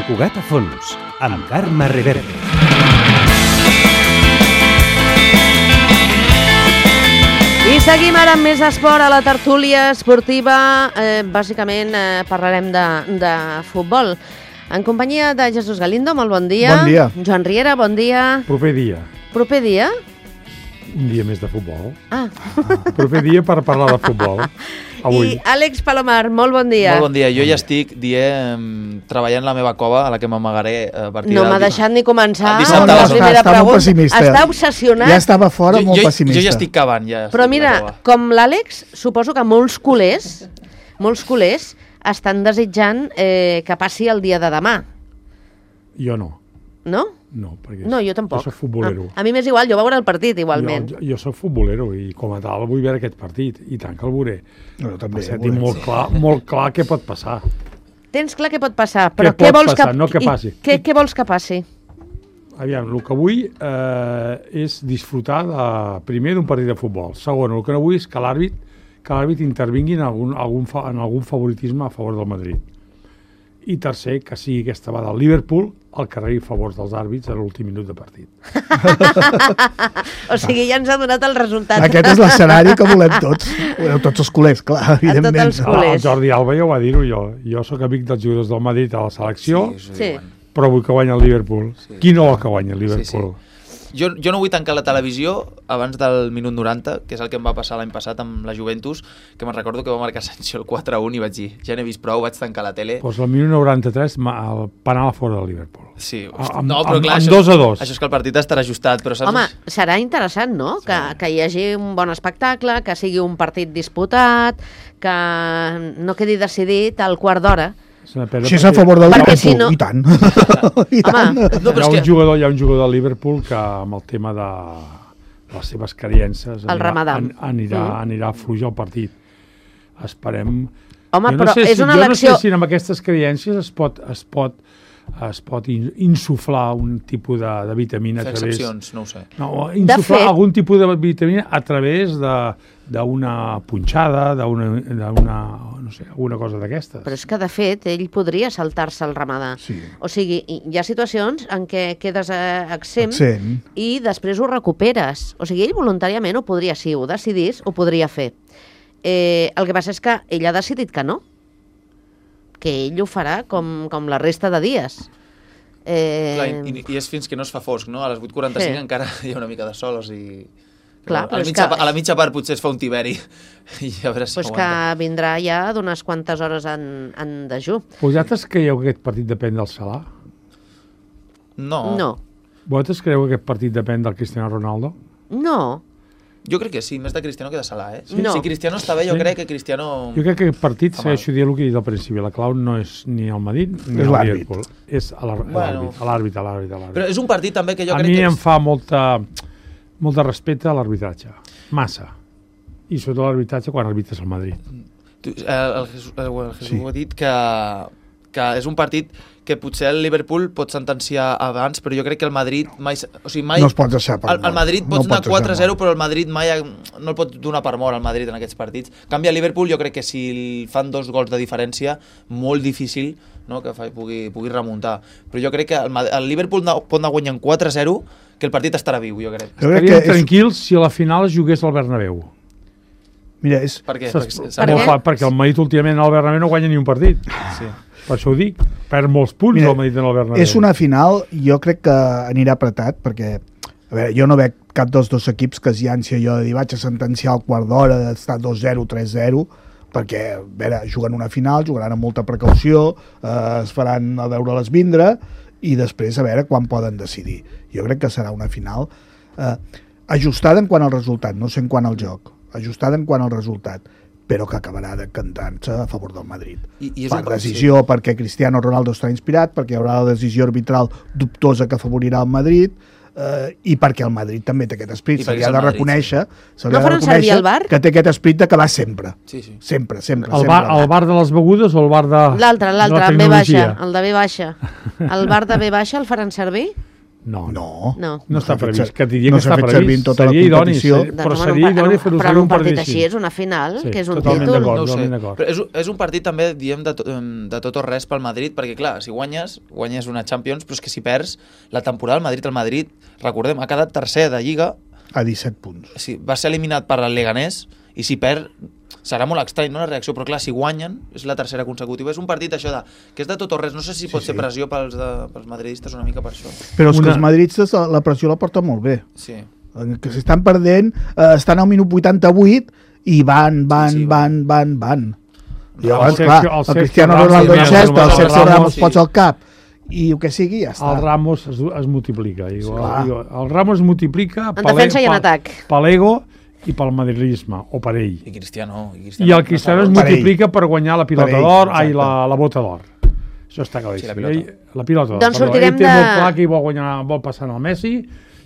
Cugat a fons, amb Carme Reverte. I seguim ara amb més esport a la tertúlia esportiva. Bàsicament parlarem de futbol. En companyia de Jesús Galindo, molt bon dia. Bon dia. Joan Riera, bon dia. Proper dia. Proper dia? Un dia més de futbol. Proper dia per parlar de futbol. Avui. I Àlex Palomar, molt bon dia. Molt bon dia. Jo ja estic treballant la meva cova, a la que m'amagaré a partir No m'ha deixat ni començar. Dissabte, La primera està molt pregunta. pessimista. Està obsessionat. Ja estava fora, molt pessimista. Jo ja estic cavant. Ja Però mira, com l'Àlex, suposo que molts culers estan desitjant que passi el dia de demà. Jo no. No? No, perquè No, jo tampoc. jo soc futbolero. A mi m'és igual, jo veuré el partit igualment. Jo soc futbolero i com a tal vull veure aquest partit. I tant que el veuré. No, també. Tinc molt clar què pot passar. Tens clar què pot passar, però Què què pot vols passar, que... no què passi. Què vols que passi? Aviam, el que vull és disfrutar primer d'un partit de futbol. Segon, el que no vull és que l'àrbit intervingui en algun favoritisme a favor del Madrid. I tercer, que sigui aquesta vegada el Liverpool el que rebi favors dels àrbits a l'últim minut de partit. O sigui, ja ens ha donat el resultat. Aquest és l'escenari que volem tots. Volem tots els culers, clar, evidentment. els culers. El Jordi Alba ja ho va dir-ho jo. Jo sóc amic dels jugadors del Madrid a la selecció, Sí. però vull que guanyi el Liverpool. Sí. Qui no vol que guanyi el Liverpool? Sí. Jo no vull tancar la televisió abans del minut 90, que és el que em va passar l'any passat amb la Juventus, que me'n recordo que va marcar Sancho el 4-1 i vaig dir, ja n'he vist prou, vaig tancar la tele. Doncs el minut 93 el penal a fora del Liverpool. Sí, Amb però clar, 2-2. Això és que el partit estarà ajustat, però saps... Home, serà interessant, no? Que hi hagi un bon espectacle, que sigui un partit disputat, que no quedi decidit al quart d'hora. Si és a favor del Perquè Liverpool, si no- i tant. I tant. No, però Hi és ha un jugador del Liverpool que amb el tema de les seves creences El Ramadà. anirà a fluir el partit. Esperem... Home, Jo no però sé és una jo elecció... no sé si amb aquestes creences es pot insuflar un tipus de vitamina fer a través... excepcions, no ho sé. No, insuflar fet- algun tipus de vitamina a través d'una punxada, no sé, alguna cosa d'aquestes. Però és que, de fet, ell podria saltar-se el ramadà. Sí. O sigui, hi ha situacions en què quedes exempt Absent. i després ho recuperes. O sigui, ell voluntàriament ho podria, si ho decidís, ho podria fer. El que passa és que ell ha decidit que no. Que ell ho farà com la resta de dies. Clar, i és fins que no es fa fosc, no? A les 8:45 Sí. encara hi ha una mica de sol, o sigui... Clar, però és a la mitja part potser es fa un tiberi i a veure si Pues que aguanta. vindrà ja d'unes quantes hores en dejú. Vosaltres creieu que aquest partit depèn del Salah? No. Vosaltres creieu que aquest partit depèn del Cristiano Ronaldo? No. Jo crec que sí, més de Cristiano que de Salah, eh? No. Si Cristiano està bé, jo Sí. crec que Cristiano... Jo crec que aquest partit, Fa mal. segueixo dient el que he dit al principi, la clau no és ni el Madrid ni És el l'àrbit. Liverpool, és Bueno. l'àrbit. Però és un partit també que jo A crec mi que... em fa molt de respecte a l'arbitratge, massa. I sobretot l'arbitratge quan arbitres al Madrid. El Jesús ho ha dit que és un partit que potser el Liverpool pot sentenciar abans, però jo crec que el Madrid mai... O sigui, mai No es pot deixar per el mort. Madrid No pots anar pots deixar 4-0, però el Madrid mai no el pot donar per mort al Madrid en aquests partits. En canvi, el Liverpool jo crec que si fan 2 gols de diferència, molt difícil, no, que pugui remuntar. Però jo crec que el Liverpool pot anar guanyant 4-0, que el partit estarà viu, jo crec. Jo crec Estaríem que és... tranquils si a la final es jugués al Bernabéu. Mira, és... Per què? Perquè el Madrid últimament al Bernabéu no guanya ni un partit. Sí. Per això ho dic. Perd molts punts Mira, el Madrid en el Bernabéu. És una final, jo crec que anirà apretat, perquè a veure, jo no veig cap dels dos equips que es llanci allò de dir vaig a sentenciar al quart d'hora, d'estar 2-0, 3-0, perquè a veure, juguen una final, jugaran amb molta precaució, es faran a veure-les vindre, i després a veure quan poden decidir. Jo crec que serà una final ajustada en quant al resultat, no sé en quant al joc, ajustada en quant al resultat, però que acabarà decantant-se a favor del Madrid. I és Per decisió, perquè Cristiano Ronaldo està inspirat, perquè hi haurà la decisió arbitral dubtosa que afavorirà el Madrid, i perquè el Madrid també té aquest I esperit. Se perquè li és ha el de Madrid, reconèixer, se li No ha de faran servir el VAR? que té aquest esperit d'acabar sempre. Sí, sí. Sempre. El bar de les begudes o el bar de L'altre, la amb B baixa, tecnologia? el de B baixa. El bar de B baixa el faran servir? No. No. No està s'ha fet previst. ser- Que et diria no que s'ha està fet previst. servir en tota la Seria idoni, competició. però seria idoni fer-ho però servir en un un partit partit així és una final, Sí, que és un totalment títol. d'acord. No ho sé, totalment d'acord. però és un partit també, diem, de tot o res pel Madrid, perquè clar, si guanyes una Champions, però és que si perds la temporada el Madrid, recordem, ha quedat tercer de Lliga, A 17 punts. sí, va ser eliminat per el Leganés, i si perd serà molt estrany, no?, la reacció, però clar, si guanyen, és la tercera consecutiva. És un partit, això que és de tot o res. No sé si pot ser pressió pels madridistes una mica per això. Però és que els madridistes la pressió la porten molt bé. Sí. Que s'estan perdent, estan al minut 88 i van. I llavors, clar, el Cristiano Ronaldo sí, encesta, el sí, Sergio sí. Ramos posa al cap i el que sigui, ja està. El Ramos es multiplica. Clar. El Ramos es multiplica En defensa i en atac. per l'ego i pel madridisme, o per ell. I Cristiano. I el Cristiano es Per ell. multiplica per guanyar la pilota Per ell, d'or, exacte. la bota d'or. Això està claríssim. Sí, la pilota. La pilota d'or. Doncs perdó. sortirem Ell té molt de- clar que ell vol passar al Messi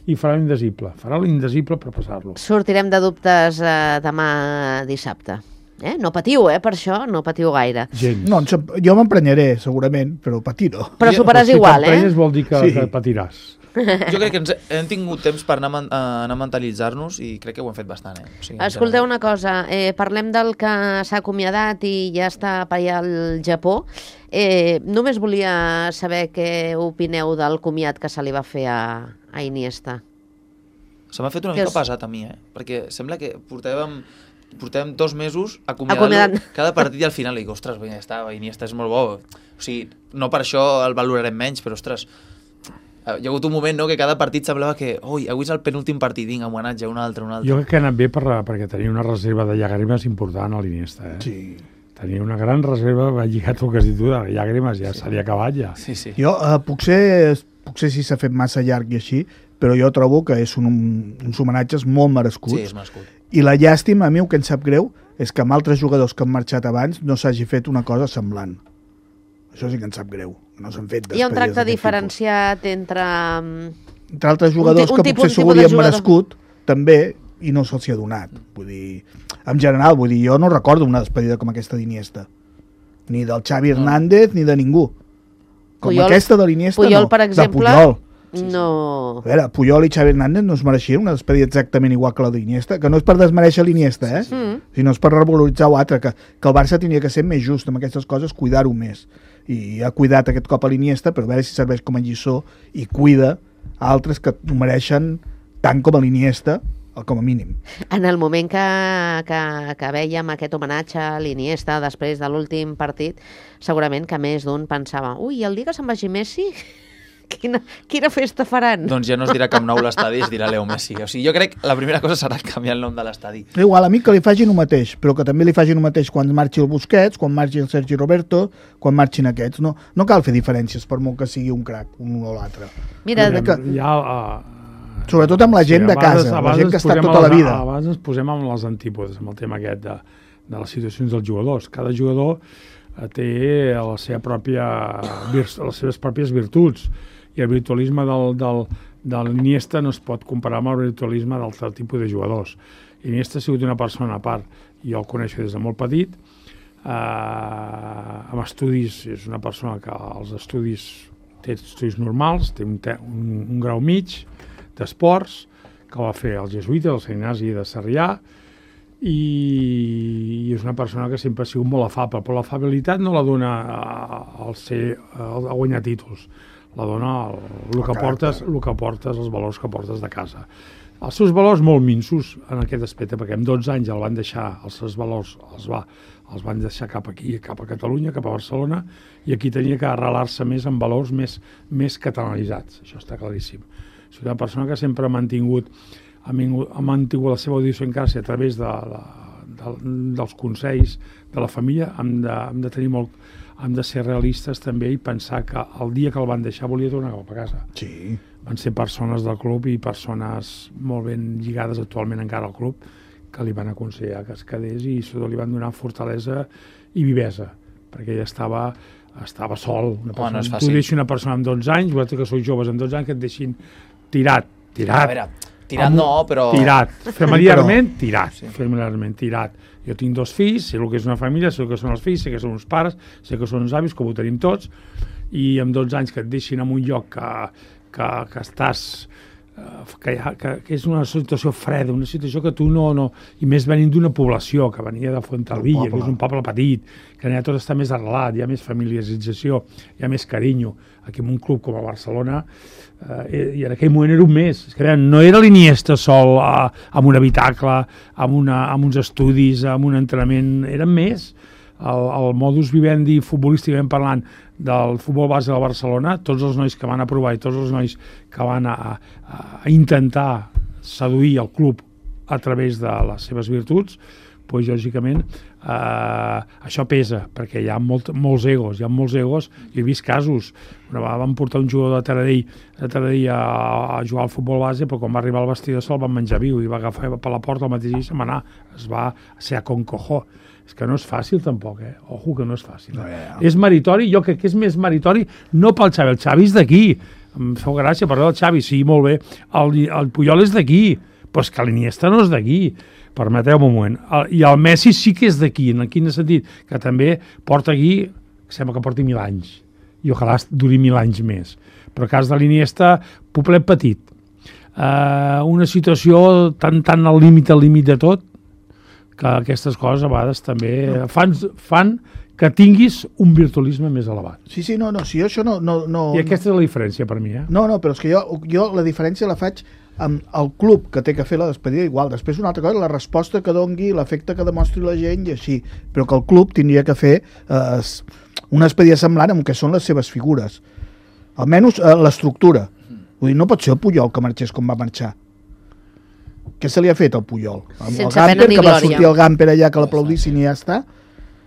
i farà l'indesible. Farà l'indesible per passar-lo. Sortirem de dubtes demà dissabte. No patiu, per això, no patiu gaire. Gens. No, jo m'emprenyaré, segurament, però patir no. Però superaràs igual, Si vol dir que, Sí. que patiràs. Jo crec que hem tingut temps per anar a mentalitzar-nos i crec que ho hem fet bastant. O sigui, Escolteu una cosa, parlem del que s'ha acomiadat i ja està per allà al Japó. Només volia saber què opineu del comiat que se li va fer a Iniesta. Se m'ha fet una Que mica és- pesat a mi, perquè sembla que portàvem 2 mesos Acomiadant. acomiadant cada partit i al final dic, ostres, Iniesta és molt bo. O sigui, no per això el valorarem menys, però ostres, hi ha hagut un moment, no?, que cada partit semblava que avui és el penúltim partit, vinga, homenatge, un altre. Jo crec que ha anat bé perquè tenia una reserva de llàgrimes important a l'Iniesta. Sí. Tenia una gran reserva, va lligat el que has dit tu, de llàgrimes, ja se li ha acabat ja. Sí. Jo, potser sí s'ha fet massa llarg i així, però jo trobo que és uns homenatges molt merescuts. Sí, és merescut. I la llàstima, a mi el que em sap greu és que amb altres jugadors que han marxat abans no s'hagi fet una cosa semblant. Això sí que em sap greu. No s'han fet Hi ha un despedides tracte d'aquest diferenciat entre... Entre altres jugadors un que tipus- potser un s'ho tipus de volien jugador. merescut, també, i no se'ls hi ha donat. Vull dir, en general, jo no recordo una despedida com aquesta d'Iniesta. Ni del Xavi Hernández, ni de ningú. Com Puyol- aquesta de l'Iniesta, Puyol, no. per exemple, De Puyol. No... A veure, Puyol i Xavi Hernández no es mereixien una despedida exactament igual que la d'Iniesta, que no és per desmereixer l'Iniesta, sinó és per revaloritzar l'altre, que el Barça tenia que ser més just amb aquestes coses, cuidar-ho més. I ha cuidat aquest cop a l'Iniesta, però a veure si serveix com a lliçó i cuida altres que ho mereixen tant com a l'Iniesta, com a mínim. En el moment que vèiem aquest homenatge a l'Iniesta després de l'últim partit, segurament que més d'un pensava ui, el dia que se'n vagi Messi, quina festa faran? Doncs ja no es dirà Camp Nou l'estadi, es dirà Leo Messi. O sigui, jo crec que la primera cosa serà canviar el nom de l'estadi. Igual, a mi que li facin el mateix, però que també li facin el mateix quan marxi el Busquets, quan marxi el Sergi Roberto, quan marxin aquests. No cal fer diferències per molt que sigui un crac, un o l'altre. Mira, Jo crec que- Ja, Sobretot amb la gent de casa, la gent que ha estat tota la vida. Abans ens posem amb les antípodes, amb el tema aquest de les situacions dels jugadors. Cada jugador té les seves pròpies virtuts, i el virtualisme de l'Iniesta no es pot comparar amb el virtualisme d'altre tipus de jugadors. Iniesta ha sigut una persona a part, jo el coneixo des de molt petit, amb estudis, és una persona que els estudis té estudis normals, té un grau mig d'esports, que va fer el jesuïta, el Sant Ignasi de Sarrià, i és una persona que sempre ha sigut molt afable, però l'afabilitat no la dona a guanyar títols, la dona el que portes, els valors que portes de casa. Els seus valors molt minsos en aquest aspecte, perquè amb 12 anys el van deixar, els seus valors els van deixar cap aquí, cap a Catalunya, cap a Barcelona, i aquí tenia que arrelar-se més en valors més catalanitzats, això està claríssim. És una persona que sempre ha mantingut la seva idiosincràsia a través dels consells de la família. Hem de ser realistes també i pensar que el dia que el van deixar volia tornar cap a casa. Sí. Van ser persones del club i persones molt ben lligades actualment encara al club que li van aconsellar que es quedés i li van donar fortalesa i vivesa, perquè ella estava sol. No és tu fàcil. deixis una persona amb 12 anys, vosaltres que sou joves amb 12 anys, que et deixin tirat. A veure, tirat no, però... Tirat, familiarment tirat, Sí. familiarment tirat. Jo tinc 2 fills, sé el que és una família, sé el que són els fills, sé que són uns pares, sé que són uns avis, com ho tenim tots, i amb 12 anys que et deixin en un lloc que estàs... que és una situació freda, una situació que tu no... I més venint d'una població que venia de Fuenterrabía, que és un poble petit, que allà tot està més arrelat, hi ha més familiarització, hi ha més carinyo. Aquí en un club com el Barcelona, i en aquell moment era un més. És que no era l'Iniesta sol amb un habitacle, amb uns estudis, amb un entrenament, eren més. El modus vivendi futbolísticament parlant del futbol base de Barcelona, tots els nois que van aprovar i tots els nois que van a intentar seduir el club a través de les seves virtuts, doncs, lògicament, això pesa, perquè hi ha molts egos, i he vist casos. Una vegada van portar un jugador de Taradell a jugar al futbol base, però quan va arribar al vestidor se'l van menjar viu, i va agafar per la porta el mateix i se'n va anar. Es va ser a concojó. És que no és fàcil tampoc, Ojo que no és fàcil. És meritori, jo crec que és més meritori no pel Xavi, el Xavi és d'aquí. Em feu gràcia parlar del Xavi, sí, molt bé. El Puyol és d'aquí, però és que l'Iniesta no és d'aquí. Permeteu-me un moment. I el Messi sí que és d'aquí, en quin sentit? Que també porta aquí, sembla que porti 1000 anys, i ojalà duri 1000 anys més. Però el cas de l'Iniesta, poblet petit. Una situació tan al límit de tot, que aquestes coses a vegades també fan que tinguis un virtualisme més elevat. Sí, jo això no... I aquesta és la diferència per mi, No, però és que jo la diferència la faig amb el club que té que fer la despedida igual. Després una altra cosa, la resposta que dongui, l'efecte que demostri la gent i així. Però que el club tindria que fer una despedida semblant amb el que són les seves figures. Almenys l'estructura. Vull dir, no pot ser el Puyol que marxés com va marxar. Què se li ha fet al Puyol? Amb el Gamper, que va sortir el Gamper allà que l'aplaudissin i ja està?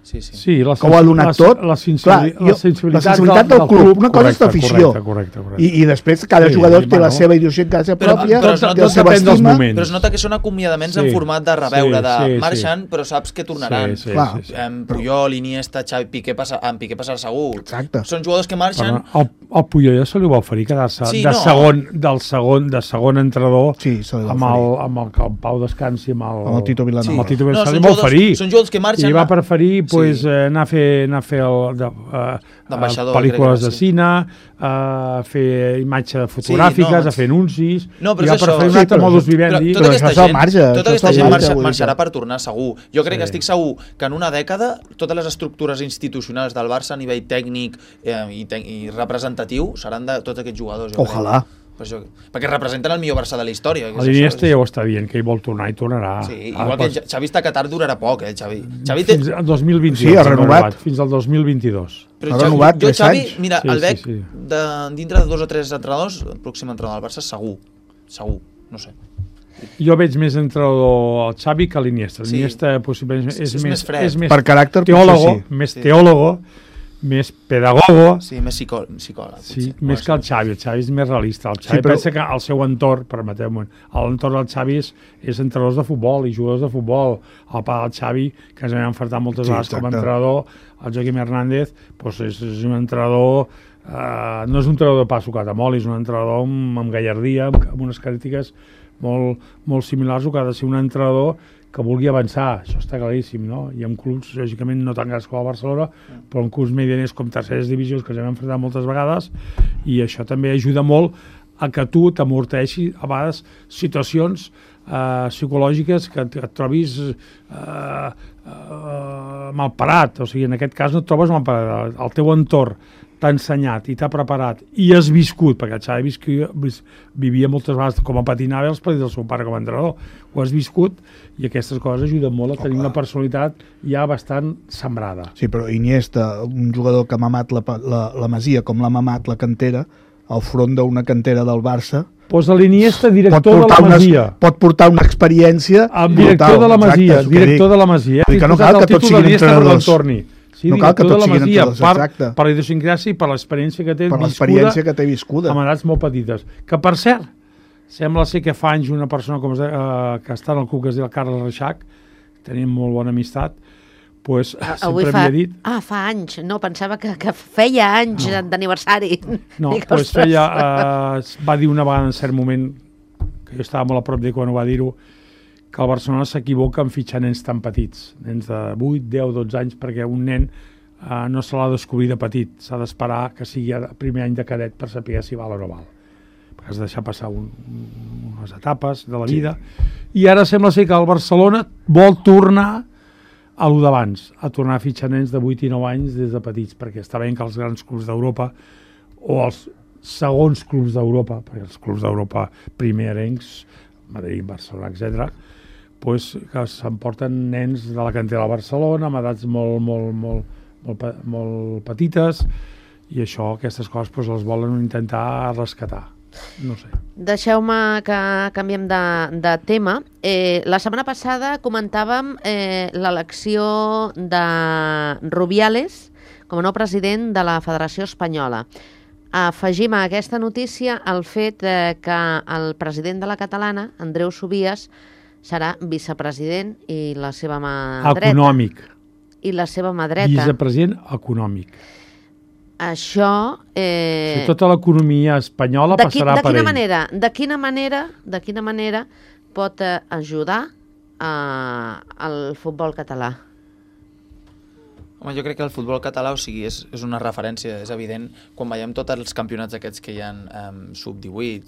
Sí, que ho ha donat tot. La sensibilitat del club. Una cosa és l'afició. Correcte. I després cada jugador té la seva idiosincràsia pròpia, té la seva estima. Però es nota que són acomiadaments en format de reveure, de marxen, però saps que tornaran. Puyol, Iniesta, Xavi, Piqué passarà segur. Exacte. Són jugadors que marxen... Al Puyol ja se li va oferir quedar-se de segon entrenador amb el Pau Descansi, amb el Tito Vilanova. Se li va oferir. Són jugadors que marxen... I va preferir anar a fer pel·lícules de cine, a fer imatges fotogràfiques, a fer anuncis, i va preferir un altre modus vivendi. Tota aquesta gent marxarà per tornar segur. Jo crec que estic segur que en una dècada totes les estructures institucionals del Barça a nivell tècnic i representatiu seran de tots aquests jugadors. Ojalà. Perquè representen el millor Barça de la història. L'Iniesta ja ho està dient, que ell vol tornar i tornarà. Sí, igual que Xavi està a Qatar durarà poc, Xavi. Fins al 2022. Sí, ha renovat. Fins al 2022. Ha renovat 3 anys. Mira, el Bec, dintre de 2 o 3 entrenadors, el pròxim entrenador del Barça, segur, no sé. Jo veig més entrenador el Xavi que l'Iniesta. L'Iniesta possiblement és més fred. Per caràcter, teòlogo, més teòlogo, més pedagogo. Sí, més psicòleg. Sí, més que el Xavi. El Xavi és més realista. El Xavi pensa que el seu entorn, permeteu-me, l'entorn del Xavi és entrenadors de futbol i jugadors de futbol. El pare del Xavi, que ens vam enfrontar moltes vegades com a entrenador, el Joaquim Hernández, és un entrenador... no és un entrenador de pa sucat amb oli, és un entrenador amb gallardia, amb unes característiques molt similars, o que ha de ser un entrenador que vulgui avançar, això està claríssim, no? I en clubs, lògicament, no tan grans com el Barcelona, però en clubs medianers com terceres divisions, que ens hem enfrontat moltes vegades, i això també ajuda molt a que tu t'amorteixi a vegades situacions psicològiques que et trobis malparat, o sigui, en aquest cas no et trobes malparat, el teu entorn t'ha ensenyat i t'ha preparat i has viscut, perquè el Xavi vivia moltes vegades com a patinava els partits del seu pare com a entrenador, ho has viscut i aquestes coses ajuden molt a tenir una personalitat ja bastant sembrada. Sí, però Iniesta, un jugador que ha mamat la Masia com l'ha mamat la cantera, al front d'una cantera del Barça, doncs l'Iniesta, director de la Masia. Pot portar una experiència... Director de la Masia, director de la Masia. Que no cal que tots siguin entrenadors. Sí, no cal que tots siguin entrenadors, per la idiosincràsia i per l'experiència que té viscuda amb edats molt petites. Que, per cert, sembla ser que fa anys una persona que està en el club, que es diu Carles Reixac, tenim molt bona amistat, doncs sempre havia dit... fa anys, no, pensava que feia anys d'aniversari. No, doncs va dir una vegada en cert moment, que jo estava molt a prop d'ell quan ho va dir-ho, que el Barcelona s'equivoca en fitxar nens tan petits, nens de 8, 10, 12 anys, perquè un nen no se l'ha de descobrir de petit, s'ha d'esperar que sigui el primer any de cadet per saber si val o no val. has de deixar passar unes etapes de la vida, i ara sembla ser que el Barcelona vol tornar a lo d'abans, a tornar a fitxar nens de 8 i 9 anys des de petits, perquè està bé que els grans clubs d'Europa o els segons clubs d'Europa, perquè els clubs d'Europa primerencs, Madrid, Barcelona, etc., pues, que s'emporten nens de la cantera de Barcelona amb edats molt petites, i això, aquestes coses, pues, les volen intentar rescatar. No sé. Deixeu-me que canviem de tema. La setmana passada comentàvem l'elecció de Rubiales com a nou president de la Federació Espanyola. Afegim a aquesta notícia el fet que el president de la catalana, Andreu Subias, serà vicepresident i la seva mà dreta. Econòmic. I la seva mà dreta. Vicepresident econòmic. Això... tota l'economia espanyola passarà per ell. De quina manera pot ajudar al futbol català? Home, jo crec que el futbol català, o sigui, és una referència, és evident, quan veiem tots els campionats aquests que hi ha sub-18,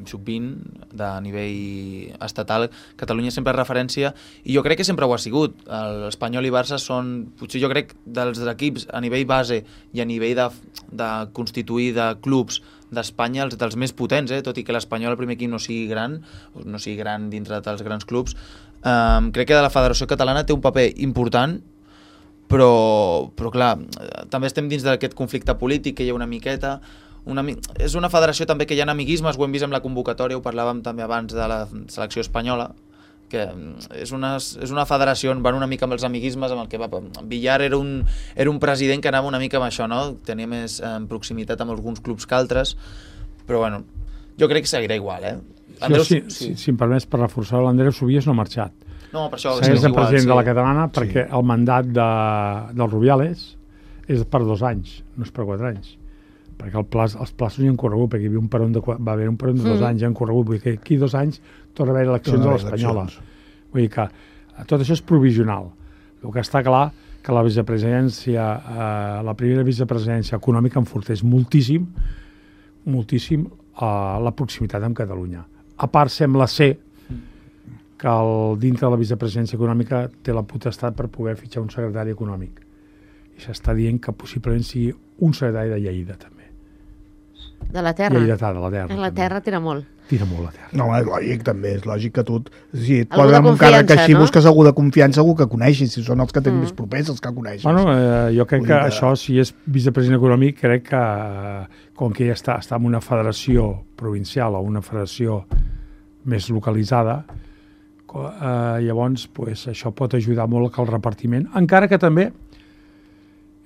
sub-20, de nivell estatal, Catalunya sempre és referència, i jo crec que sempre ho ha sigut. L'Espanyol i Barça són, potser jo crec, dels equips a nivell base i a nivell de constituir de clubs d'Espanya, dels més potents, tot i que l'Espanyol, el primer equip, no sigui gran dintre dels grans clubs. Crec que la Federació Catalana té un paper important, però clar, també estem dins d'aquest conflicte polític que hi ha una miqueta. És una federació també que hi ha amiguismes, ho hem vist amb la convocatòria, ho parlàvem també abans de la selecció espanyola, que és una federació on van una mica amb els amiguismes, amb el que va... Villar era un president que anava una mica amb això, no? Tenia més proximitat amb alguns clubs que altres, però bueno, jo crec que seguirà igual, Si em permets, per reforçar l'Andreu Subias no ha marxat. No, per això segueix el president de la catalana, perquè el mandat del Rubiales és per 2 anys, no és per 4 anys, perquè els plaços hi han corregut, perquè va haver un peron de 2 anys, hi han corregut, vull dir que aquí 2 anys torna a haver eleccions a l'Espanyola. Vull dir que tot això és provisional. El que està clar que la vicepresidència, la primera vicepresidència econòmica enforteix moltíssim la proximitat amb Catalunya. A part, sembla ser que dintre de la vicepresidència econòmica té la potestat per poder fitxar un secretari econòmic. I s'està dient que possiblement sigui un secretari de Lleida, també. De la terra? Lleidatà, de la terra. La terra tira molt. Tira molt la terra. No, és lògic, també. És lògic que tu... Si et posen amb un càrrec així, busques algú de confiança, algú que coneixis. Si són els que tenen més propers, els que coneixes. Bueno, jo crec que això, si és vicepresident econòmic, crec que com que ja està en una federació provincial o una federació més localitzada, llavors això pot ajudar molt que el repartiment, encara que també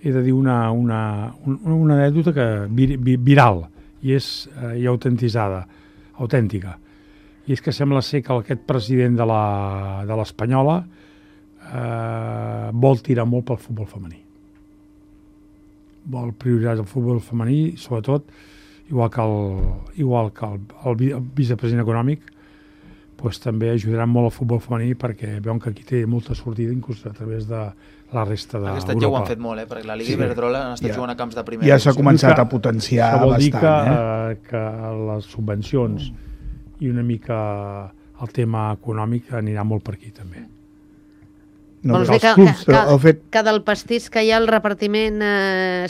he de dir una anècdota viral i autèntica, i és que sembla ser que aquest president de l'Espanyola vol tirar molt pel futbol femení, vol prioritzar el futbol femení, sobretot igual que el vicepresident econòmic, pues, també ajudaran molt al futbol femení, perquè veuen que aquí té molta sortida, inclús a través de la resta d'Europa. Aquest any ja ho han fet molt, perquè la Liga Iberdrola han estat jugant a camps de primera. Ja s'ha començat a potenciar bastant. Això vol dir que les subvencions i una mica el tema econòmic anirà molt per aquí, també. Vols dir que del pastís que hi ha el repartiment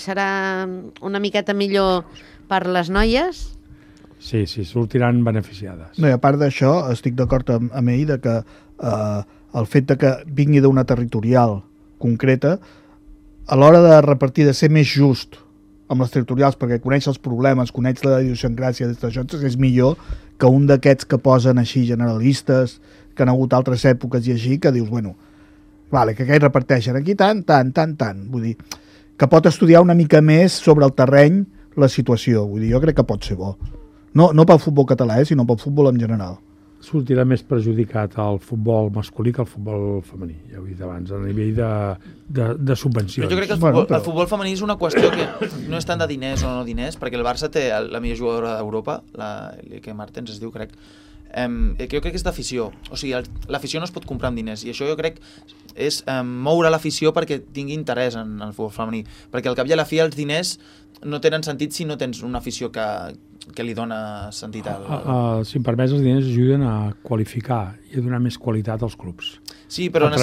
serà una miqueta millor per les noies? Sí, sortiran beneficiades. No, i a part d'això, estic d'acord amb ell que el fet de que vingui d'una territorial concreta, a l'hora de repartir, de ser més just amb les territorials, perquè coneix els problemes, coneix la idiosincràsia d'això, és millor que un d'aquests que posen així generalistes, que han hagut altres èpoques i així, que dius, bueno, vale, que aquells reparteixen aquí tant. Vull dir, que pot estudiar una mica més sobre el terreny la situació. Vull dir, jo crec que pot ser bo. No pel futbol català, sinó pel futbol en general. Sortirà més perjudicat el futbol masculí que el futbol femení, ja ho he dit abans, a nivell de subvencions. Però jo crec que el futbol femení és una qüestió que no és tant de diners o no diners, perquè el Barça té la millor jugadora d'Europa, la Lieke Martens es diu, crec, jo crec que és d'afició. O sigui, l'afició no es pot comprar amb diners, i això jo crec és moure l'afició perquè tingui interès en el futbol femení, perquè al cap i a la fi els diners no tenen sentit si no tens una afició que li dona sentit si em permets, els diners ajuden a qualificar i a donar més qualitat als clubs. Sí, però a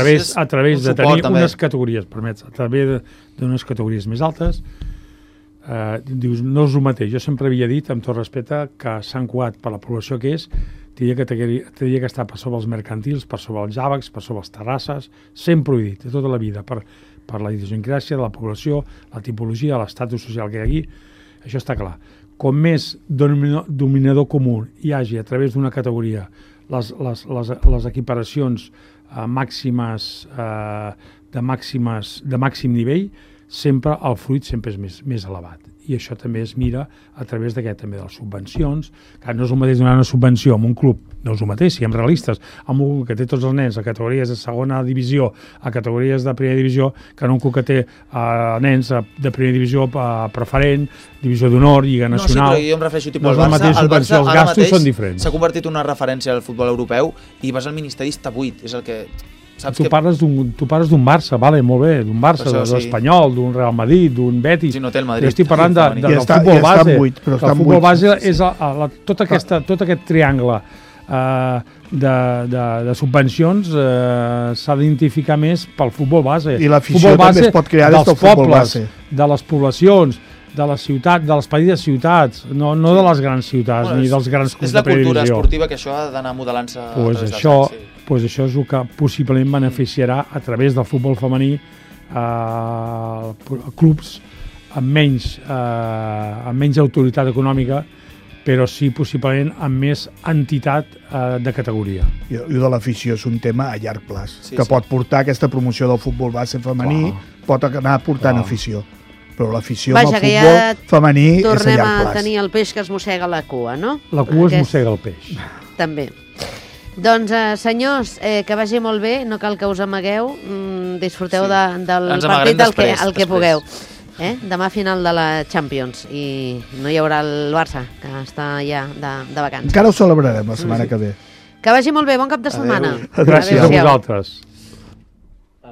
través de tenir unes categories, permets, a través d'unes categories més altes. Dius, no és el mateix. Jo sempre havia dit, amb tot respecte, que Sant Cugat, per la població que és, tindria que estar per sobre els mercantils, per sobre els àbacs, per sobre els terrasses, sempre ho he dit, de tota la vida, per la idiosincràsia de la població, la tipologia, l'estatus social que hi ha aquí, això està clar. Com més dominador comú hi hagi a través d'una categoria les equiparacions màximes de màxim nivell, sempre el fruit sempre és més elevat. I això també es mira a través d'aquest també de les subvencions, que no és el mateix donar una subvenció a un club, no és el mateix, siguem realistes, amb un que té tots els nens a categories de segona divisió, a categories de primera divisió, que no un club que té nens de primera divisió preferent, divisió d'honor, lliga nacional. No, sí, però jo em refereixo tipus al Barça. El Barça els gastos són diferents. S'ha convertit en una referència al futbol europeu i vas al Ministeri està buit, és el que... Tu parles d'un Barça, vale, molt bé, d'un Barça, de l'Espanyol, d'un Real Madrid, d'un Betis. Sí, no té el Madrid. Jo estic parlant del futbol base. El futbol base és tot aquest triangle de subvencions s'ha d'identificar més pel futbol base. I l'afició també es pot crear des del futbol base. De les poblacions, de les ciutats, de les petites ciutats, no de les grans ciutats, ni dels grans clubs de primera divisió. És la cultura esportiva que això ha d'anar modelant-se a través dels anys. Doncs això és el que possiblement beneficiarà a través del futbol femení clubs amb menys autoritat econòmica, però sí possiblement amb més entitat de categoria. I de l'afició és un tema a llarg plaç, que pot portar aquesta promoció del futbol base femení, pot anar portant afició. Però l'afició al futbol femení és a llarg plaç. Tornem a tenir el peix que es mossega la cua, no? La cua es mossega el peix. També. Doncs, senyors, que vagi molt bé, no cal que us amagueu, disfruteu del partit el que pugueu. Demà final de la Champions i no hi haurà el Barça, que està ja de vacances. Encara ho celebrarem la setmana que ve. Que vagi molt bé, bon cap de setmana. Gràcies a vosaltres.